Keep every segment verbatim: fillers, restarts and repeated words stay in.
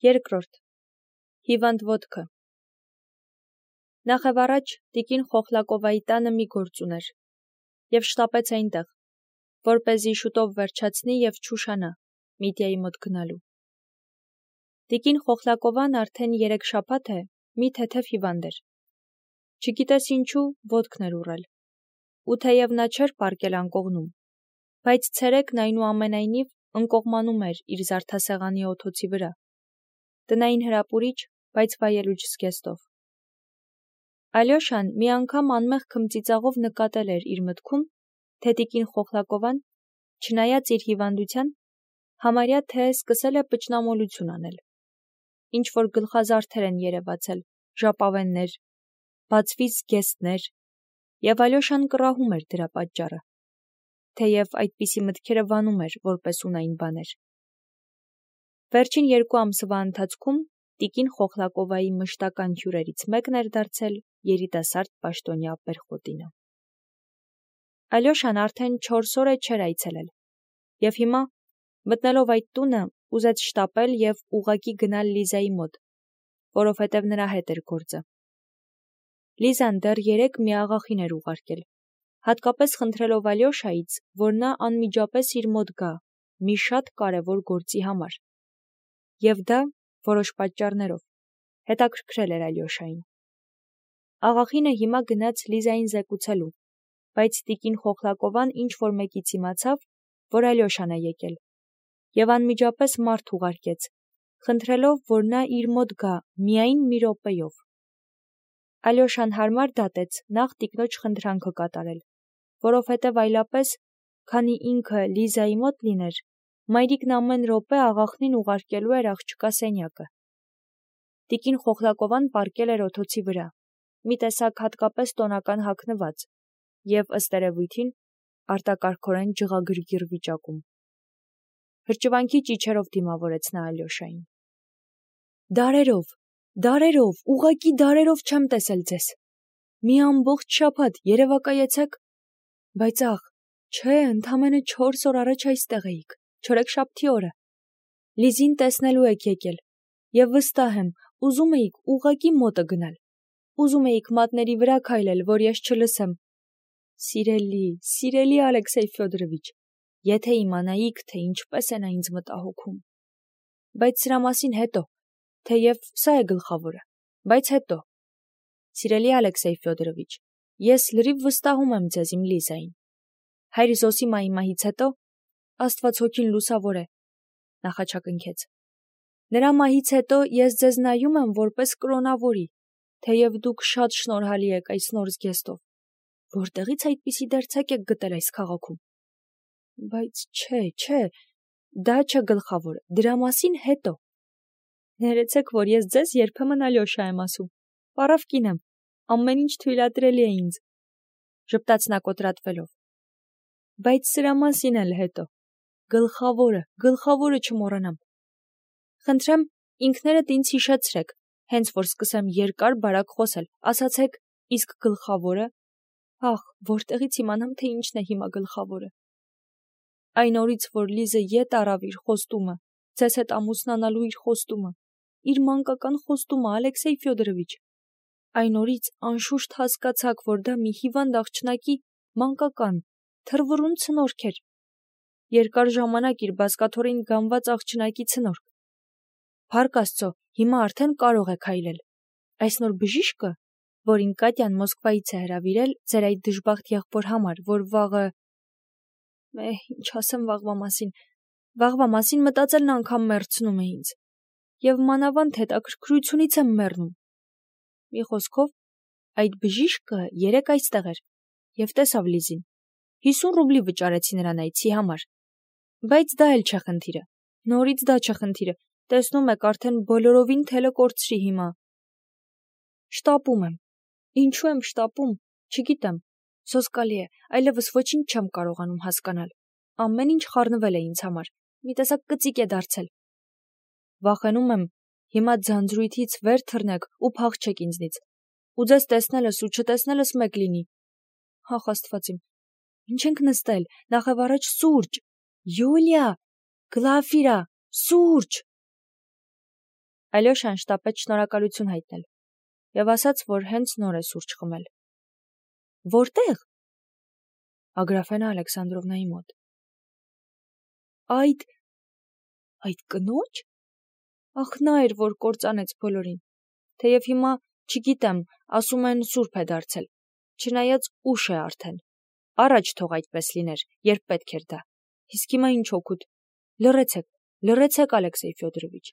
Երկրորդ. Հիվանդ ոտքը։ Նախևառաջ տիկին Խոխլակովայի տանը մի գործ ուներ և շտապեց այնտեղ, որպեսզի շուտով վերջացնի և չուշանա Միտյայի մոտ գնալու։ Տիկին Խոխլակովան արդեն երեք շաբաթ է մի թեթև հիվանդ էր։ Չգիտես ինչու ոտքն էր ուռել, ու թեև նա չէր պառկել անկողնում, բայց ցերեկն այնուամենայնիվ ընկողմանում էր իր զարդասեղանի օթոցի վրա, տնային հրապուրիչ, բայց վայելուչ զգեստով։ Ալյոշան մի անգամ անմեղ քմծիծաղով նկատել էր իր մտքում, թե տիկին Խոխլակովան, չնայած իր հիվանդության, համարյա թե սկսել է պճնամոլություն անել։ Ինչ-որ գլխազարդեր են երևացել, ժապավեններ, բացվի զգեստներ, և Ալյոշան կռահում էր դրա պատճառը, թեև այդպիսի մտքերը վանում էր որպես ունային բաներ։ Վերջին երկու ամսվա ընթացքում տիկին Խոխլակովայի մշտական հյուրերից մեկն էր դարձել երիտասարդ պաշտոնյա Պերխոտինը։ Ալյոշան արդեն չորս օր է չէր այցելել, և հիմա, մտնելով այդ տունը, ուզեց շտապել և ուղղակի գնալ Լիզայի մոտ, որովհետև նրա հետ էր գործը։ Լիզան դեռ երեկ մի աղախին էր ուղարկել, հատկապես խնդրելով Ալյոշայից, որ նա անմիջապես իր մոտ գա մի շատ կարևոր գործի համար, և դա, որոշ պատճառներով, հետաքրքրել էր Ալյոշային։ Աղախինը հիմա գնաց Լիզային զեկուցելու, բայց տիկին Խոխլակովան ինչ-որ մեկից իմացավ, որ Ալյոշան է եկել, և անմիջապես մարդ ուղարկեց, խնդրելով, որ նա իր մոտ գա միայն մի րոպեով։ Ալյոշան հարմար դատեց նախ տիկնոջ խնդրանքը կատարել, որովհետև այլապես, քանի ինքը Լիզայի մոտ լիներ, մայրիկն ամեն րոպե աղախնին ուղարկելու էր աղջկա սենյակը։ Տիկին Խոխլակովան պառկել էր օթոցի վրա, մի տեսակ հատկապես տոնական հագնված, և ըստ երևույթին արտակարգորեն ջղագրգիռ վիճակում։ Հրճվանքի ճիչերով դիմավորեց նա Ալյոշային. «Դարերով, դարերով, ուղղակի դարերով չեմ տեսել ձեզ։ Մի ամբողջ շաբաթ երևակայեցեք, բայց ախ, չէ, ընդամենը չորս օր առաջ այստեղ էիք, չորեքշաբթի օրը։ Լիզին տեսնելու եք եկել, և վստահ եմ, ուզում էիք ուղղակի մոտը գնալ, ուզում էիք մատների վրա քայլել, որ ես չլսեմ։ Սիրելի, սիրելի Ալեքսեյ Ֆյոդորովիչ, եթե իմանայիք, թե ինչպես է նա ինձ մտահոգում։ Բայց սրա մասին հետո, թեև սա է գլխավորը, բայց հետո։ Սիրելի Ալեքսեյ Ֆյոդորովիչ, ես լրիվ վստահում եմ ձեզ իմ Լիզային։ Հայր Զոսիմայի մահից հետո, Աստված հոգին լուսավոր է, նախաչակնքեց։ Նրա մահից հետո ես ձեզ նայում եմ որպես կրոնավորի, թեև դուք շատ շնորհալի եք այս նոր զգեստով։ Որտեղից այդպիսի դերձակ եք գտել այս քաղաքում։ Բայց չէ, չէ, դա չէ գլխավորը, դրա մասին հետո։ Ներեցեք, որ ես ձեզ երբեմն Ալյոշա եմ ասում, պառավ կին եմ, ամեն ինչ թույլատրելի է ինձ, ժպտաց նա կոտրատվելով։ Բայց սրա մասին էլ հետո։ Գլխավորը, գլխավորը չմոռանամ։ Խնդրեմ, ինքներդ ինձ հիշեցրեք, հենց որ սկսեմ երկար բարակ խոսել, ասացեք, իսկ գլխավորը։ Ախ, որտեղից իմանամ, թե ինչն է հիմա գլխավորը։ Այն օրից, որ Լիզը ետ առավ իր խոստումը, ձեզ հետ ամուսնանալու իր խոստումը, իր մանկական խոստումը, Ալեքսեյ Ֆյոդորովիչ, այն օրից անշուշտ հասկացաք, որ դա մի հիվանդ աղջնակի մանկական, թռվռուն ցնորք էր, երկար ժամանակ իր բազկաթոռին գամված աղջնակի ցնորք։ Փառք Աստծո, հիմա արդեն կարող է քայլել։ Այս նոր բժիշկը, որին Կատյան Մոսկվայից է հրավիրել ձեր այդ դժբախտ եղբոր համար, որ վաղը… Էհ, ինչ ասեմ վաղվա մասին, վաղվա մասին մտածելն անգամ մեռցնում է ինձ, և մանավանդ հետաքրքրությունից եմ մեռնում։ Մի խոսքով, այդ բժիշկը երեկ այստեղ էր, և տեսավ Լիզին, հիսուն ռուբլի վճարեցի նրան այցի համար, բայց դա էլ չէ խնդիրը, նորից դա չէ խնդիրը, տեսնում եք, արդեն բոլորովին թելը կորցրի հիմա։ Շտապում եմ, ինչու եմ շտապում, չգիտեմ, սոսկալի է, այլևս ոչինչ չեմ կարողանում հասկանալ, ամեն ինչ խառնվել է ինձ համար, մի տեսակ կծիկ է դարձել։ Վախենում եմ, հիմա ձանձրույթից վեր թռնեք ու փախչեք ինձնից, ու ձեզ տեսնելս ու չտեսնելս մեկ լինի։ Ախ Աստված իմ, ինչ ենք նստել, նախևառաջ սուրճ, Յուլիա, Գլաֆիրա, սուրճ։ Ալյոշան շտապեց շնորհակալություն հայտնել եւ ասաց, որ հենց նոր է սուրճ խմել։ Որտեղ։ Ագրաֆենա Ալեքսանդրովնայի մոտ։ Այդ այդ կնոջ։ Ախ, նա էր, որ կործանեց բոլորին։ Թեև հիմա չգիտեմ, ասում են սուրբ է դարձել, չնայած ուշ է արդեն։ Առաջ թող այդպես լիներ, երբ պետք էր դա։ Իսկ հիմա ինչ օգուտ։ Լռեցեք, լռեցեք, Ալեքսեյ Ֆյոդորովիչ,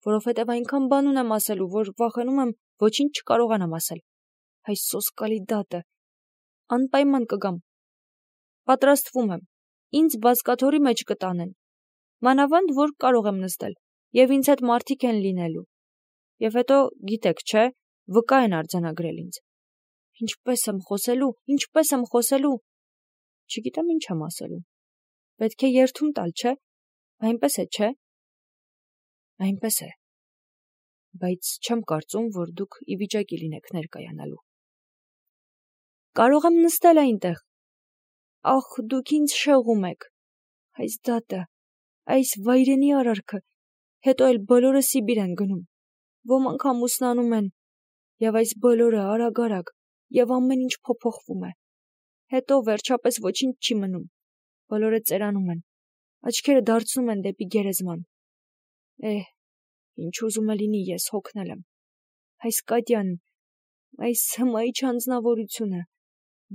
որովհետև այնքան բան ունեմ ասելու, որ վախենում եմ ոչինչ չկարողանամ ասել։ Այս սոսկալի դատը։ Անպայման կգամ։ Պատրաստվում եմ։ Ինձ բազկաթոռի մեջ կտանեն։ Մանավանդ, որ կարող եմ նստել, եւ ինձ հետ մարդիկ են լինելու։ Եվ հետո, գիտեք, չէ, վկա են արձանագրել ինձ։ Ինչպես եմ խոսելու, ինչպես եմ խոսելու։ Չգիտեմ ինչ եմ ասելու։ Պետք է երթում տալ, չէ։ Այնպես է, չէ։ Այնպես է։ Բայց չեմ կարծում, որ դուք ի վիճակի լինեք ներկայանալու։ Կարող եմ նստել այնտեղ։ Ախ, դուք ինձ շեղում եք։ Այս դատը, այս վայրենի արարքը, հետո էլ բոլորը Սիբիր են գնում։ Ոմանք ամուսնանում են, եւ այս բոլորը արագ-արագ, եւ ամեն ինչ փոփոխվում է։ Հետո վերջապես ոչինչ չի մնում։ Բոլորը ծերանում են, աչքերը դարձնում են դեպի գերեզման։ Էհ, ինչ ուզում է լինի, ես հոգնել եմ։ Այս Կատյան, այս հմայիչ անձնավորությունը,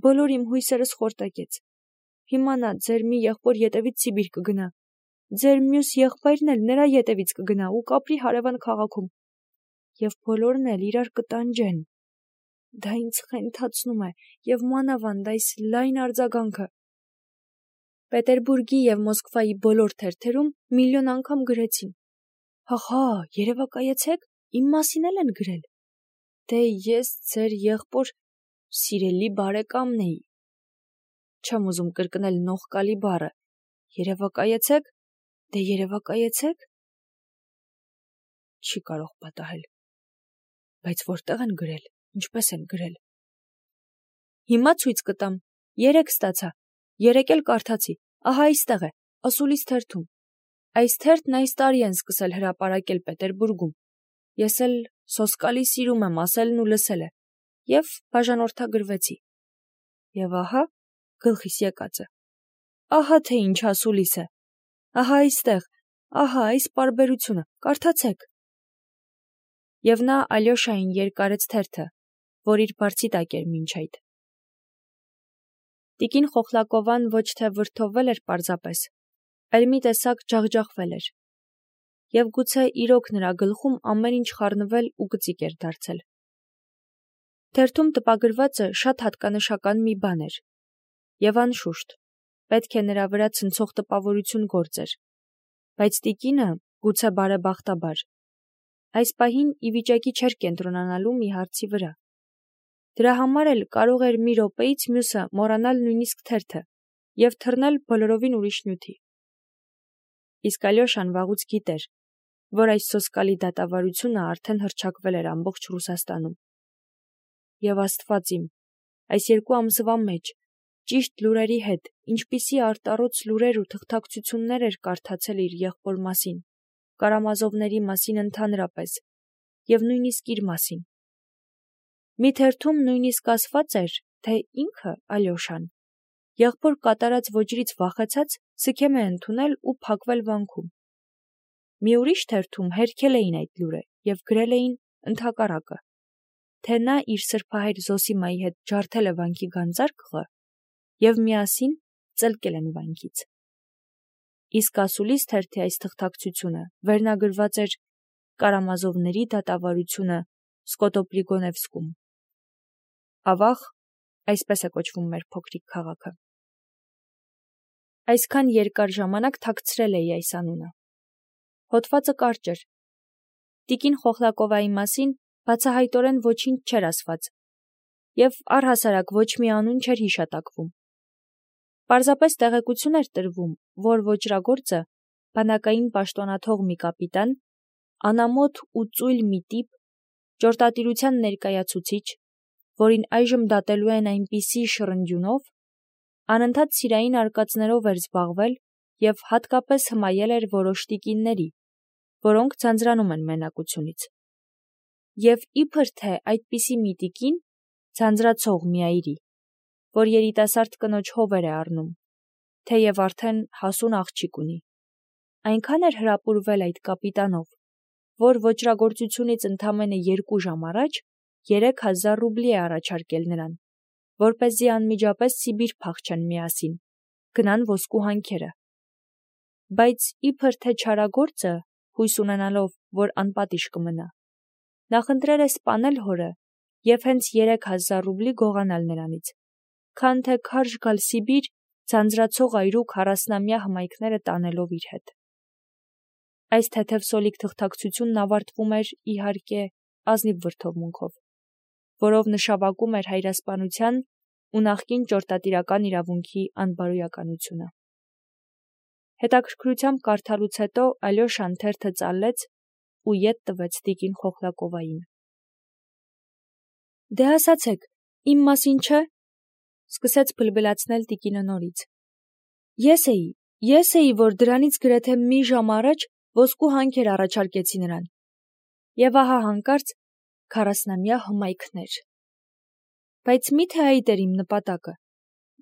բոլոր իմ հույսերս խորտակեց։ Հիմա նա ձեր մի եղբոր ետևից Սիբիր կգնա։ Ձեր մյուս եղբայրն էլ նրա ետևից կգնա ու կապրի հարևան քաղաքում։ Եվ բոլորն էլ իրար կտանջեն։ Դա ինձ խենթացնում է, եւ մանավանդ այս լայն արձագանքը։ Պետերբուրգի եւ Մոսկվայի բոլոր թերթերում միլիոն անգամ գրեցին։ Ահա, երևակայեցեք, իմ մասին էլ են գրել։ Դե ես ձեր եղբոր սիրելի բարեկամն էի։ Չեմ ուզում կրկնել նողկալի բառը։ Երևակայեցեք, դե երևակայեցեք։ Չի կարող պատահել։ Բայց որտեղ են գրել, ինչպես են գրել։ Հիմա ցույց կտամ։ Երեք ստացա։ Երեք էլ կարդացի։ Ահա այստեղ է, ասուլիս թերթում։ Այս թերթն այս տարի են սկսել հրապարակել Պետերբուրգում։ Ես էլ սոսկալի սիրում եմ ասելն ու լսելը։ Եվ բաժանորդագրվեցի։ Եվ ահա գլխիս եկածը։ Ահա թե ինչ ասուլիս է։ Ահա այստեղ, ահա այս պարբերությունը, կարդացեք։ Եվ նա Ալյոշային երկարեց թերթը, որ իր բարձի տակ էր մինչ այդ։ Տիկին Խոխլակովան ոչ թե վրդովվել էր պարզապես, այլ մի տեսակ ջախջախվել էր։ Եվ գուցե իրոք նրա գլխում ամեն ինչ խառնվել ու գծիկ էր դարձել։ Թերթում տպագրվածը շատ հատկանշական մի բան էր։ Եվ անշուշտ, պետք է նրա վրա ցնցող տպավորություն գործեր։ Բայց տիկինը, գուցե բարեբախտաբար, այս պահին ի վիճակի չէր կենտրոնանալու մի հարցի վրա։ Դրա համար էլ կարող էր մի րոպեից մյուսը մոռանալ նույնիսկ թերթը եւ թռնել բոլորովին ուրիշ նյութի։ Իսկ Ալյոշան վաղուց գիտեր, որ այս սոսկալի դատավարությունը արդեն հռչակվել էր ամբողջ Ռուսաստանում։ Եվ Աստված իմ, այս երկու ամսվա մեջ, ճիշտ լուրերի հետ, ինչպիսի արտառոց լուրեր ու թղթակցություններ էր կարդացել իր եղբոր մասին, Կարամազովների մասին ընդհանրապես, եւ նույնիսկ իր մասին։ Մի թերթում նույնիսկ ասված էր, թե ինքը, Ալյոշան, եղբոր կատարած ոճրից վախեցած սքեմ է ընդունել ու փակվել վանքում։ Մի ուրիշ թերթում հերքել էին այդ լուրը եւ գրել էին ընդհակառակը, թե նա իր սրբահայր Զոսիմայի հետ ջարդել է վանքի գանձարկղը եւ միասին ծլկել են վանքից։ Իսկ ասուլիս թերթի այս թղթակցությունը վերնագրված էր Կարամազովների դատավարությունը Սկոտոպրիգոնևսկում։ Ավաղ, այսպես է կոչվում մեր փոքրիկ քաղաքը։ Այսքան երկար ժամանակ թաքցրել էի այս անունը։ Հոդվածը կարճ էր։ Տիկին Խոխլակովայի մասին բացահայտորեն ոչինչ չէր ասված, եւ առհասարակ ոչ մի անուն չէր հիշատակվում։ Պարզապես տեղեկություն էր տրվում, որ ոճրագործը, բանակային պաշտոնաթող մի կապիտան, անամոթ ու ծույլ մի տիպ, ճորտատիրության ներկայացուցիչ, որին այժմ դատելու են այնպիսի շռնդյունով, անընդհատ սիրային արկածներով էր զբաղվել եւ հատկապես հմայել էր որոշ տիկինների, որոնք ձանձրանում են մենակությունից։ Եվ իբր թե այդպիսի մի տիկին, ձանձրացող մի այրի, որ երիտասարդ կնոջ հովեր է առնում, թեև արդեն հասուն աղջիկ ունի, այնքան էր հրապուրվել այդ կապիտանով, որ ոճրագործությունից ընդամենը երկու ժամ առաջ երեք հազար ռուբլի է առաջարկել նրան, որպեսզի անմիջապես Սիբիր փախչեն միասին, գնան ոսկու հանքերը։ Բայց իբր թե չարագործը, հույս ունենալով, որ անպատիժ կմնա, նախընտրել է սպանել հորը և հենց երեք հազար ռուբլի գողանալ նրանից, քան թե քարշ գալ Սիբիր ձանձրացող այրու քառասնամյա հմայքները տանելով իր հետ։ Այս թեթև սոլիկ թղթակցությունն ավարտվում էր, իհարկե, ազնիվ վրդովմունքով, որով նշավակում էր հայրասպանության ու նախկին ճորտատիրական իրավունքի անբարոյականությունը։ Հետաքրքրությամբ կարդալուց հետո Ալյոշան թերթը ծալեց ու ետ տվեց տիկին Խոխլակովային։ Դե ասացեք, իմ մասին չէ, սկսեց փլբլացնել տիկինը նորից։ Ես էի, ես էի, որ դրանից գրեթե մի ժամ առաջ ոսկու հանքեր առաջարկեցի նրան։ Եվ ահա հանկարծ քառասնամյա հմայքներ։ Բայց միթե այդ էր իմ նպատակը։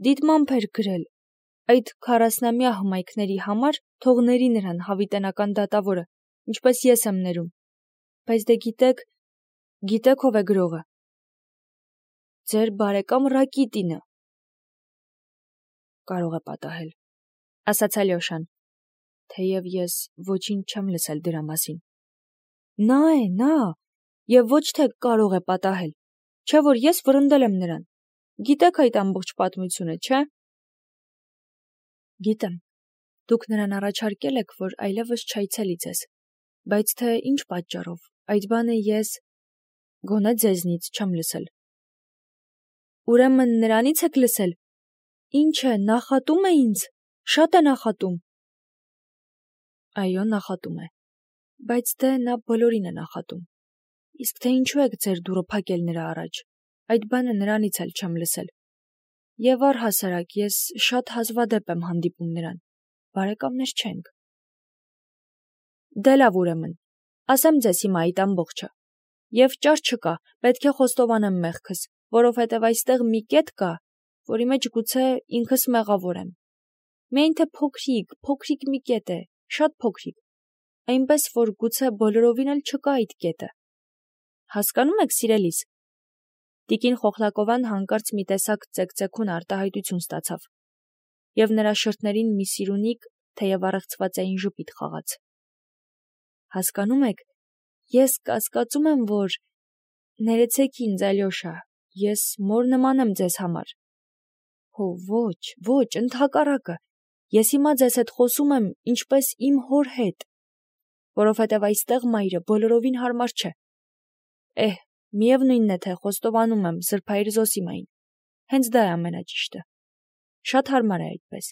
Դիտմամբ էր գրել, այդ քառասնամյա հմայքների համար թողների նրան հավիտենական դատավորը, ինչպես ես եմ ներում։ Բայց դե գիտեք, գիտեք ով է գրողը։ Ձեր բարեկամ Ռակիտինը։ Կարող է պատահել, ասաց Ալյոշան, թեև ես ոչինչ չեմ լսել դրա մասին։ Նա է, նա, եւ ոչ թե կարող է պատահել, չէ որ ես վրընդել եմ նրան։ Գիտեք այդ ամբողջ պատմությունը, չէ։ Գիտեմ, դուք նրան առաջարկել եք, որ այլևս չայցելի ձեզ, բայց թե ինչ պատճառով, այդ բանը ես գոնե ձեզնից չեմ լսել։ Ուրեմն նրանից եք լսել։ Ինչ է, նախատում է ինձ, շատ է նախատում։ Այո, նախատում է, բայց դե նա բոլորին է նախատում։ Իսկ թե ինչու եք ձեր դուռը փակել նրա առաջ, այդ բանը նրանից էլ չեմ լսել։ Եվ առհասարակ ես շատ հազվադեպ եմ հանդիպում նրան, բարեկամներ չենք։ Դե լավ ուրեմն, ասեմ ձեզ հիմա այդ ամբողջը։ Եվ ճար չկա, պետք է խոստովանեմ մեղքս, որովհետև այստեղ մի կետ կա, որի մեջ գուցե ինքս մեղավոր եմ։ Միայն թե փոքրիկ, փոքրիկ մի կետ է, շատ փոքրիկ, այնպես որ գուցե բոլորովին էլ չկա այդ կետը։ Հասկանում եք, սիրելիս։ Տիկին Խոխլակովան հանկարծ մի տեսակ ծեքծեքուն արտահայտություն ստացավ, և նրա շրթներին մի սիրունիկ, թեև առեղծվածային ժպիտ խաղաց։ Հասկանում եք, ես կասկածում եմ, որ… Ներեցեք ինձ, Ալյոշա, ես մոր նման եմ ձեզ համար։ Հո ոչ, ոչ, ընդհակառակը, ես հիմա ձեզ հետ խոսում եմ ինչպես իմ հոր հետ, որովհետև այստեղ մայրը բոլորովին հարմար չէ։ Էհ, միևնույնն է, թե խոստովանում եմ սրբայր Զոսիմային, հենց դա է ամենաճիշտը։ Շատ հարմար է այդպես։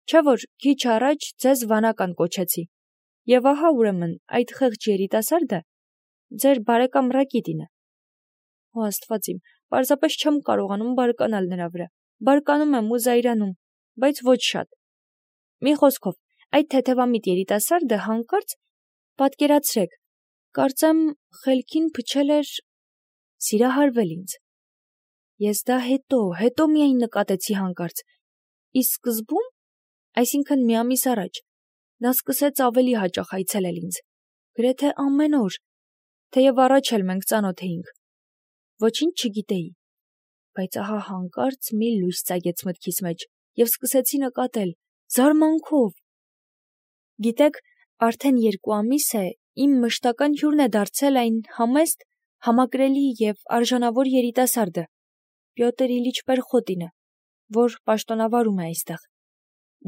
Չէ որ քիչ առաջ ձեզ վանական կոչեցի, և ահա ուրեմն այդ խեղճ երիտասարդը ձեր բարեկամ Ռակիտինը։ Օ Աստված իմ, պարզապես չեմ կարողանում բարկանալ նրա վրա, բարկանում եմ ու զայրանում, բայց ոչ շատ։ Մի խոսքով, այդ թեթևամիտ երիտասարդը հանկարծ, պատկերացրեք, կարծեմ խելքին փչել էր սիրահարվել ինձ։ Ես դա հետո, հետո միայն նկատեցի հանկարծ, իսկ սկզբում, այսինքն մի ամիս առաջ, նա սկսեց ավելի հաճախ այցելել ինձ, գրեթե ամեն օր, թեև առաջ էլ մենք ծանոթ էինք։ Ոչինչ չգիտեի, բայց ահա հանկարծ մի լույս ծագեց մտքիս մեջ և սկսեցի նկատել, զարմանքով։ Գիտեք, արդեն երկու ամիս է իմ մշտական հյուրն է դարձել այն համեստ, համակրելի և արժանավոր երիտասարդը, Պյոտր Իլիչ Պերխոտինը, որ պաշտոնավարում է այստեղ։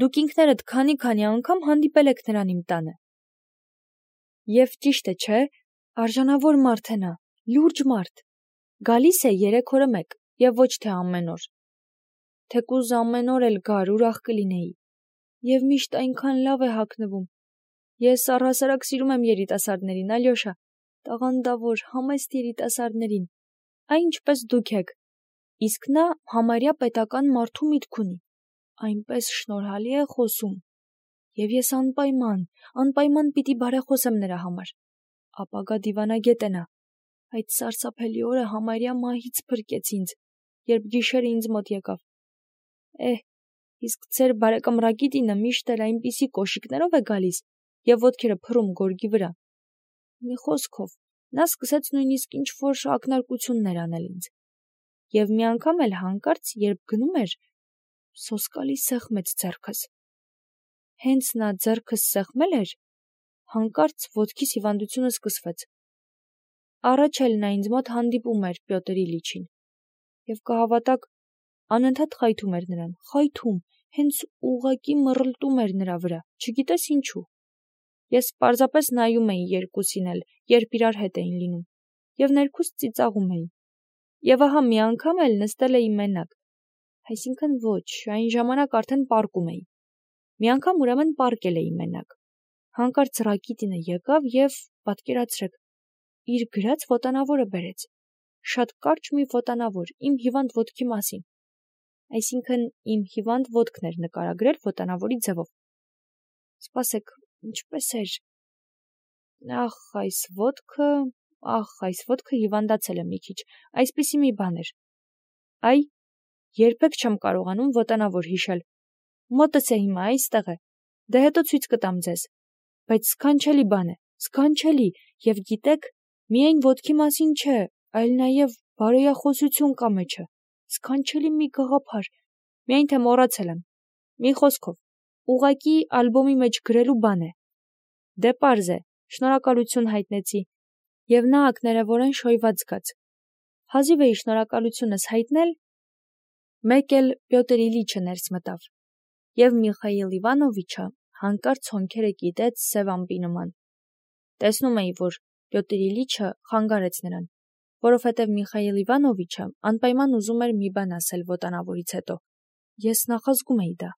Դուք ինքներդ քանի-քանի անգամ հանդիպել եք նրան իմ տանը։ Եվ ճիշտ է, չէ, արժանավոր մարդ է նա, լուրջ մարդ։ Գալիս է երեք օրը մեկ և ոչ թե ամեն օր։ Թեկուզ ամեն օր էլ գար, ուրախ կլինեի։ Եվ միշտ այնքան լավ է հագնվում։ Ես առհասարակ սիրում եմ երիտասարդներին, Ալյոշա, տաղանդավոր, համեստ երիտասարդներին, այն ինչպես դուք եք։ Իսկ նա համարյա պետական մարդու միտք ունի, այնպես շնորհալի է խոսում։ Եվ ես անպայման, անպայման պիտի բարեխոսեմ նրա համար։ Ապագա դիվանագետ է նա։ Այդ սարսափելի օրը համարյա մահից փրկեց ինձ, երբ գիշերը ինձ մոտ եկավ։ Էհ, իսկ ձեր բարեկամ Ռակիտինը միշտ էլ այնպիսի կոշիկներով է գալիս եւ ոտքերը փռում գորգի վրա։ Մի խոսքով, նա սկսեց նույնիսկ ինչ-որ ակնարկություններ անել ինձ։ Եվ մի անգամ էլ հանկարծ, երբ գնում էր, սոսկալի սեղմեց ձեռքս։ Հենց նա ձեռքս սեղմել էր, հանկարծ ոտքիս հիվանդությունը սկսվեց։ Առաջ էլ նա ինձ մոտ հանդիպում էր Պյոտր Իլիչին։ Եվ կհավատաք, անընդհատ խայթում էր նրան, խայթում, հենց ուղղակի մռլտում էր նրա վրա, չգիտես ինչու։ Ես պարզապես նայում էի երկուսին էլ, երբ իրար հետ էին լինում, եւ ներքուստ ծիծաղում էի։ Եվ ահա մի անգամ էլ նստել էի մենակ, այսինքն ոչ, այն ժամանակ արդեն պարկում էի։ Մի անգամ ուրեմն պարկել էի մենակ։ Հանկարծ Ռակիտինը եկավ եւ, պատկերացրեք, իր գրած ոտանավորը բերեց։ Շատ կարճ մի ոտանավոր, իմ հիվանդ ոտքի մասին։ Այսինքն իմ հիվանդ ոտքն էր նկարագրել ոտանավորի ձևով։ Սպասեք, ինչպես էր։ Ախ, այս ոտքը, ախ, այս ոտքը հիվանդացել է մի քիչ, այսպիսի մի բան էր։ Այ, երբեք չեմ կարողանում ոտանավոր հիշել։ Մոտս է հիմա, այստեղ է։ Դե հետո ցույց կտամ ձեզ։ Բայց սքանչելի բան է, սքանչելի, եւ գիտեք, միայն ոտքի մասին չէ, այլ նաեւ բարոյախոսություն կա մեջը։ Սքանչելի մի գաղափար, միայն թե մոռացել եմ։ Մի խոսքով, ուղակի ալբոմի մեջ գրելու բան է։ Դե պարզ է, շնորհակալություն հայտնեցի, եւ նա ակներևորեն շոյված զգաց։ Հազիվ էի շնորհակալությունս հայտնել, մեկ էլ Պյոտր Իլիչը ներս մտավ, եւ Միխայիլ Իվանովիչը հանկարծ հոնքերը կիտեց սև ամպի նման։ Տեսնում էի, որ Պյոտր Իլիչը խանգարեց նրան, որովհետև Միխայիլ Իվանովիչը անպայման ուզում էր մի բան ասել ոտանավորից հետո։ Ես նախազգում էի դա։